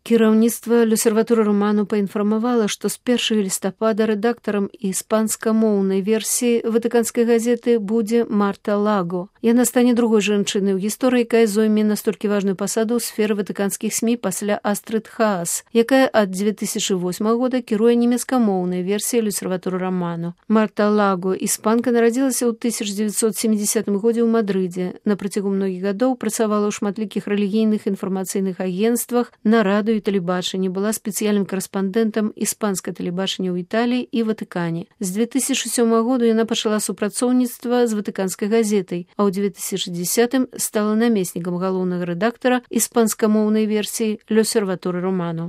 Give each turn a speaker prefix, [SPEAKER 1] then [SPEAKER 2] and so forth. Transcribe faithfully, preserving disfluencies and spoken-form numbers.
[SPEAKER 1] Кіраўніцтва L'Osservatore Romano паінфармавала, што з першага лістапада рэдактарам іспанскамоўнай версіі ватыканскай газеты будзе Марта Лаго. Яна стане другой жанчынай у гісторыі, якая зойме настолькі важную пасаду ў сферы ватыканскіх СМІ пасля Астрыд Хаас, якая ад дзве тысячы восьмага года кіруе нямецкамоўнай версіяй L'Osservatore Romano. Марта Лаго, іспанка, нарадзілася ў тысяча дзевяцьсот сямідзесятым годзе ў Мадрыдзе. На працягу многіх гадоў працавала ў шматлікіх рэлігійных інфармацыйных агенцтвах, на радыё і тэлебачанні, была спецыяльным карэспандэнтам іспанскае тэлебачання ў Італіі і Ватыкане. З дзве тысячы сёмага году яна пачала супрацоўніцтва з ватыканскай газетай, а ў дзве тысячы дзесятым стала намеснікам галоўнага рэдактара іспанскамоўнай версіі L'Osservatore Romano.